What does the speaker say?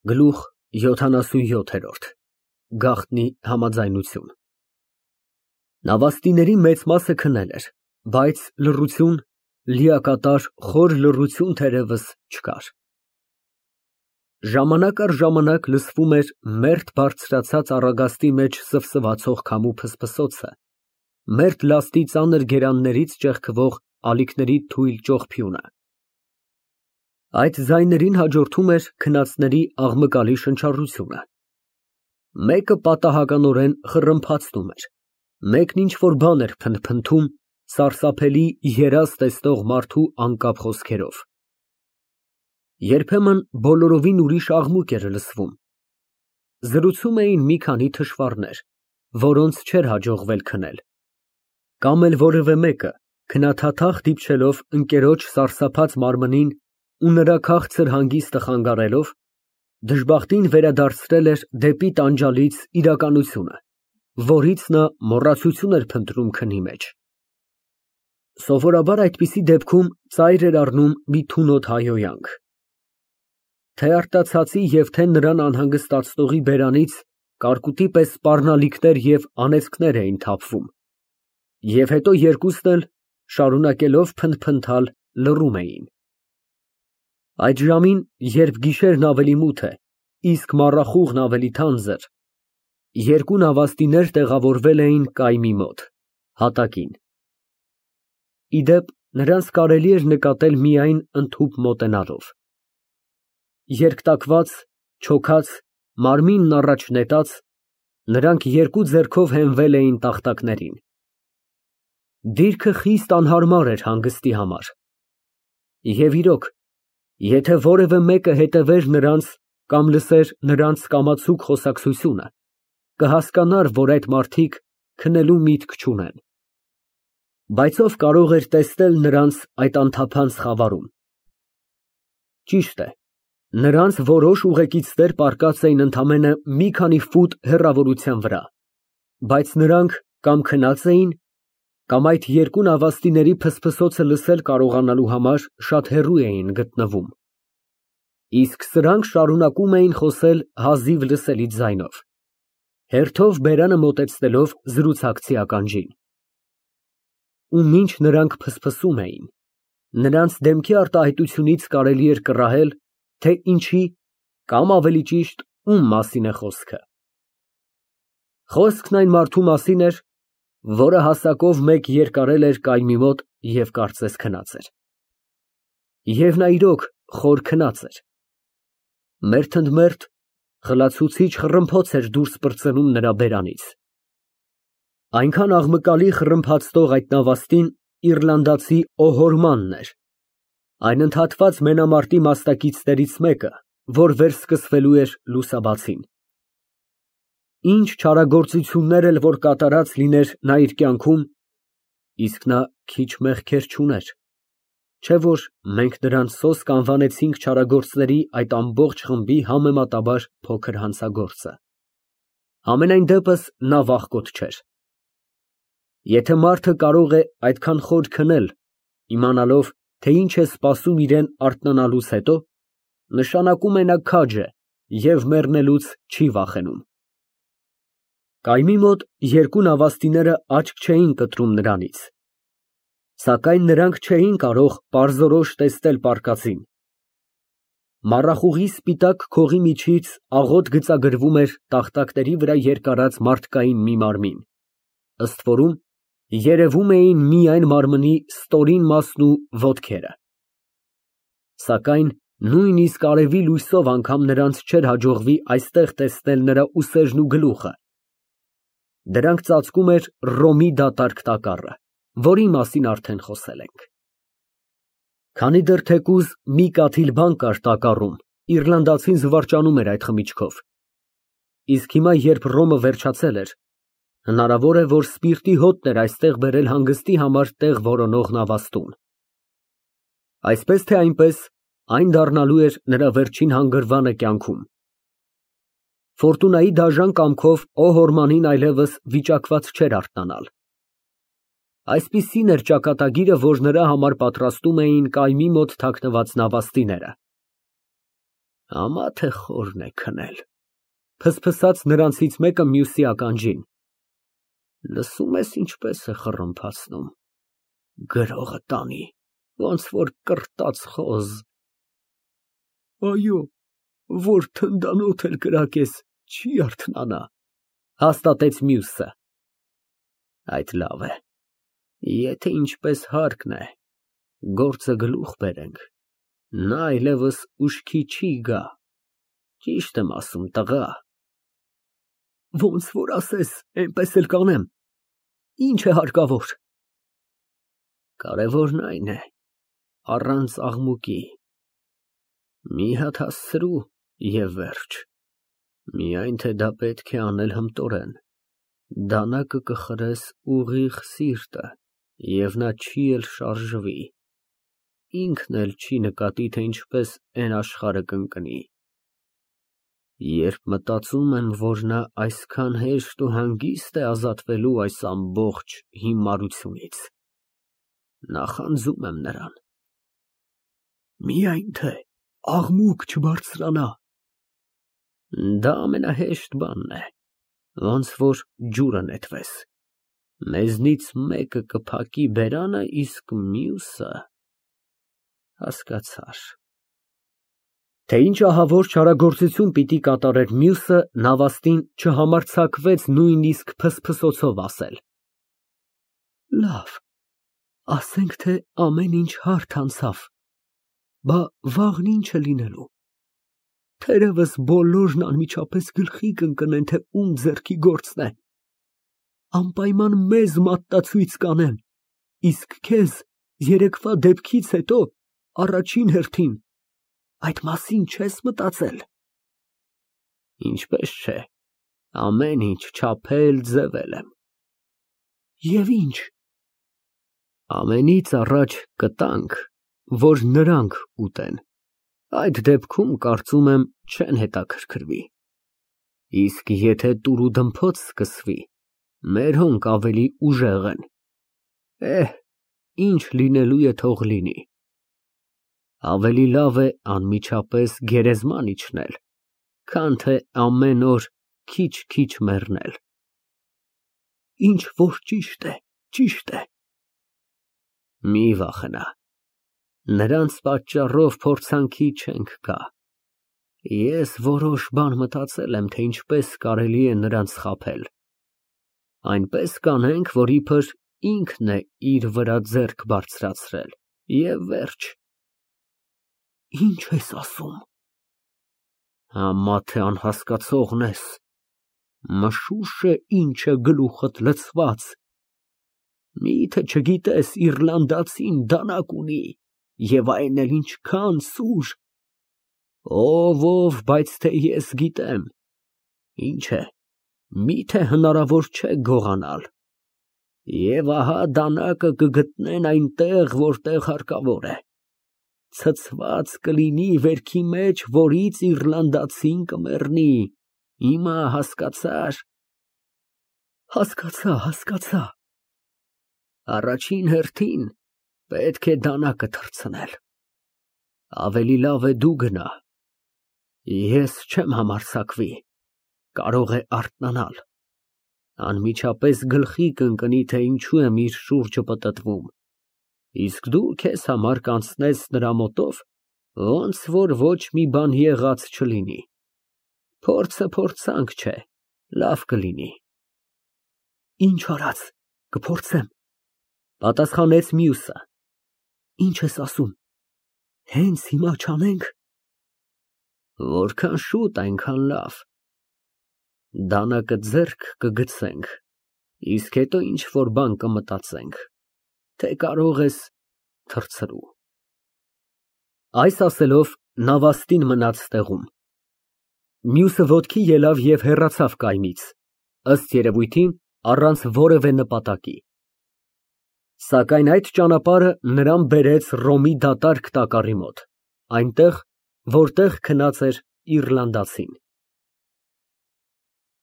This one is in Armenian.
Գլուխ 77 Գաղտնի համաձայնություն Նավաստիների մեծ մասը քնել էր, բայց լռություն, լիակատար խոր լռություն թերևս չկար։ Ժամանակ առ ժամանակ լսվում էր մերթ բարձրացած առագաստի մեջ սվսվացող քամու փսփսոցը, մերթ լաստի ծանր գերաններից ճեղքվող ալիքների թույլ ճողփյունը։ Այդ ձայներին հաջորդում էր քնածների աղմկալի շնչառությունը։ Մեկը պատահականորեն խռմփացնում էր, մեկն ինչ-որ բան էր փնթփնթում սարսափելի երազ տեսնող մարդու անկապ խոսքերով։ Երբեմն բոլորովին ուրիշ աղմուկ էր լսվում։ Զրուցում էին մի քանի թշվառներ, որոնց չէր հաջողվել քնել, կամ էլ որևէ մեկը, քնաթաթախ դիպչելով ընկերոջ սարսափած մարմնին ու նրա քաղցր հանգիստը խանգարելով, դժբախտին վերադարձրել էր դեպի տանջալից իրականությունը, որից նա մոռացություն էր փնտրում քնի մեջ։ Սովորաբար այդպիսի դեպքում ծայր էր առնում մի թունոտ հայհոյանք։ Թե արտացածի և թե նրան անհանգստացնողի բերանից կարկուտի պես սպառնալիքներ և անեծքներ էին թափվում, և հետո երկուսն էլ, շարունակելով փնթփնթալ, լռում էին։ Այդ ժամին, երբ գիշերն ավելի մութ է, իսկ մառախուղն ավելի թանձր, երկու նավաստիներ տեղավորվել էին կայմի մոտ, հատակին։ Ի դեպ, նրանց կարելի էր նկատել միայն ընդհուպ մոտենալով։ Երկատված, չոքած, մարմինն առաջ նետած, նրանք երկու ձեռքով հենվել էին տախտակներին։ Դիրքը խիստ անհարմար էր հանգստի համար։ Եվ իրոք, եթե որևէ մեկը հետևեր նրանց կամ լսեր նրանց կամացուկ խոսակցությունը, կհասկանար, որ այդ մարդիկ քնելու միտք չունեն։ Բայց ով կարող էր տեսնել նրանց այդ անթափանց խավարում։ Ճիշտ է, նրանց որոշ ուղեկիցներ պառկած էին ընդամենը մի քանի ֆուտ հեռավորության վրա, բայց նրանք կամ քնած էին, կամ այդ երկու նավաստիների փսփսոցը լսել կարողանալու համար շատ հեռու էին գտնվում։ Իսկ սրանք շարունակում էին խոսել հազիվ լսելի ձայնով, հերթով բերանը մոտեցնելով զրուցակցի ականջին։ Ու մինչ նրանք փսփսում էին, նրանց դեմքի արտահայտությունից կարելի էր կռահել, թե ինչի, կամ ավելի ճիշտ, ում մասին է խոսքը։ Խոսքն այն մարդու մասին էր, որը հասակով մեկ երկարել էր կայմի մոտ և կարծես քնած էր։ Եվ նա իրոք խոր քնած էր։ Մերթ ընդ մերթ խլացուցիչ խռմփոց էր դուրս պրծնում նրա բերանից։ Այնքան աղմկալի խռմփացնող այդ նավաստին իռլանդացի Օհորմանն էր, այն ընդհատված մենամարտի մասնակիցներից մեկը, որ վերսկսվելու էր լուսաբացին։ Ինչ չարագործություններ էլ որ կատարած լիներ նա իր կյանքում, իսկ նա քիչ մեղքեր չուներ, չէ՞ որ մենք նրան սոսկ անվանեցինք չարագործների այդ ամբողջ խմբի համեմատաբար փոքր հանցագործը։ Համենայն դեպս նա վախկոտ չէր։ Եթե մարդը կարող է այդքան խոր քնել, իմանալով, թե ինչ է սպասում իրան արթնանալուց հետո, նշանակում է նա քաջ է և մեռնելուց չի վախենում։ Կայմի մոտ երկու նավաստիները աչք չէին կտրում նրանից, սակայն նրանք չէին կարող պարզորոշ տեսնել պառկածին։ Մառախուղի սպիտակ քողի միջից աղոտ գծագրվում էր տախտակների վրա երկարած մարդկային մի մարմին, ըստ որում երևում էին միայն մարմնի ստորին մասն ու ոտքերը։ Սակայն նույնիսկ արևի լույսով անգամ նրանց չէր հաջողվի այստեղ տեսնել նրա ուսերն ու գլուխը։ Դրանք ծածկում էր Ռոմի դատարկ տակառը, որի մասին արդեն խոսել ենք։ Քանի դեռ թեկուզ մի կաթիլ բան կար տակառում, իռլանդացին զվարճանում էր այդ խմիչքով։ Իսկ հիմա, երբ ռոմը վերջացել էր, հնարավոր է, որ սպիրտի հոտն էր այստեղ բերել հանգստի համար տեղ որոնող նավաստուն։ Այսպես թե այնպես, այն դառնալու էր նրա վերջին հանգրվանը կյանքում։ Ֆորտունայի դաժան կամքով Օհորմանին այլևս վիճակված չէր արթնանալ։ Այսպիսին էր ճակատագիրը, որ նրա համար պատրաստում էին կայմի մոտ թաքնված նավաստիները։ Ամա թե խորն է քնել։ Փսփսաց նրանցից մեկը մյուսի ականջին։ Լսում ես ինչպես է խռմփացնում։ Գրողը տանի, ոնց որ կրտած խոզ։ Այո, որ թնդանոթ էլ կրակես, չի արթնանա, հաստատեց մյուսը։ Այդ լավ է, եթե ինչպես հարկն է, գործը գլուխ բերենք, նա այլևս ուշքի չի գա, ճիշտ եմ ասում, տղա։ Ոնց որ ասես, այնպես էլ կանեմ, ինչ է հարկավոր։ Կարևորն այն է, առանց աղմուկի, մի հատ հասցրու և վերջ, միայն թե դա պետք է անել հմտորեն, դանակը կխրես ուղիղ սիրտը, և նա չի էլ շարժվի, ինքն էլ չի նկատի, թե ինչպես էն աշխարհը կընկնի։ Երբ մտածում եմ, որ նա այսքան հեշտ ու հանգիստ է ազատվելու այս ամբողջ հիմարությունից, նախանձում եմ նրան։ Միայն թե աղմուկ չբարձրանա։ Դա ամենահեշտ բանն է, ոնց որ ջուրը նետվես։ Մեզնից մեկը կփակի բերանը, իսկ մյուսը… Հասկացար։ Թե ինչ ահավոր չարագործություն պիտի կատարեր մյուսը, նավաստին չհամարձակվեց նույնիսկ փսփսոցով ասել։ Լավ, ասենք թե ամեն ինչ հարթ անցավ, բա վաղն ինչ է լինելու։ Թերևս բոլորն անմիջապես գլխի կընկնեն, թե ում ձեռքի գործն է։ Անպայման մեզ մատնացույց կանեն, իսկ քեզ երեկվա դեպքից հետո առաջին հերթին, այդ մասին չես մտածել։ Ինչպես չէ, ամեն ինչ չափել, ձևել եմ։ Եվ ինչ։ Ամենից առաջ կտանք, որ նրանք ուտեն, այդ դեպքում կարծում եմ չեն հետաքրքրվի, իսկ եթե տուր ու դմփոց սկսվի, մեր հոնք ավելի ուժեղ են, ինչ լինելու է թող լինի, ավելի լավ է անմիջապես գերեզման իջնել, քան թե ամեն օր քիչ մեռնել։ Ինչ որ ճիշտ է, ճիշտ է։ Մի վախենա, նրանց պատճառով փորձանքի չենք գա։ Ես որոշ բան մտածել եմ, թե ինչպես կարելի է նրանց խաբել։ Այնպես կանենք, որ իբր ինքն է իր վրա ձեռք բարձրացրել, և վերջ։ Ինչ ես ասում։ Համա թե անհասկացողն ես, մշուշ է ինչ է գլուխդ լցված։ Միթե չգիտես Իռլանդացին դանակ ունի, և այն էլ ինչքան սուր։ Ով, բայց թե ես գիտեմ։ Ինչ է, միթե հնարավոր չէ գողանալ։ Եվ ահա դանակը կգտնեն այնտեղ, որտեղ հարկավոր է։ Ցցված կլինի վերքի մեջ, որից իռլանդացին կմեռնի։ Հիմա հասկացա՞ր։ Հասկացա։ Առաջին հերթին պետք է դանակը թռցնել։ Ավելի լավ է դու գնա։ Ես չեմ համարձակվի, կարող է արթնանալ, անմիջապես գլխի կընկնի, թե ինչու եմ իր շուրջը պտտվում, իսկ դու քեզ համար կանցնես նրա մոտով, ոնց որ ոչ մի բան եղած չլինի։ Փորձը փորձանք չէ, լավ կլինի։ Ինչ արած, կփորձեմ, պատասխանեց մյուսը։ Ինչ ես ասում, հենց հիմա չանենք։ Որքան շուտ, այնքան լավ։ Դանակը ձեռք կգցենք, իսկ հետո ինչ որ բան կմտածենք, թե կարող ես թռցրու։ Այս ասելով նավաստին մնաց տեղում։ Մյուսը ոտքի ելավ և հեռացավ կայմից, ըստ երևույթին առանց որևէ նպատակի։ Սակայն այդ ճանապարհը նրան բերեց Ռոմի դատարկ տակառի մոտ, այնտեղ, որտեղ քնած էր իռլանդացին։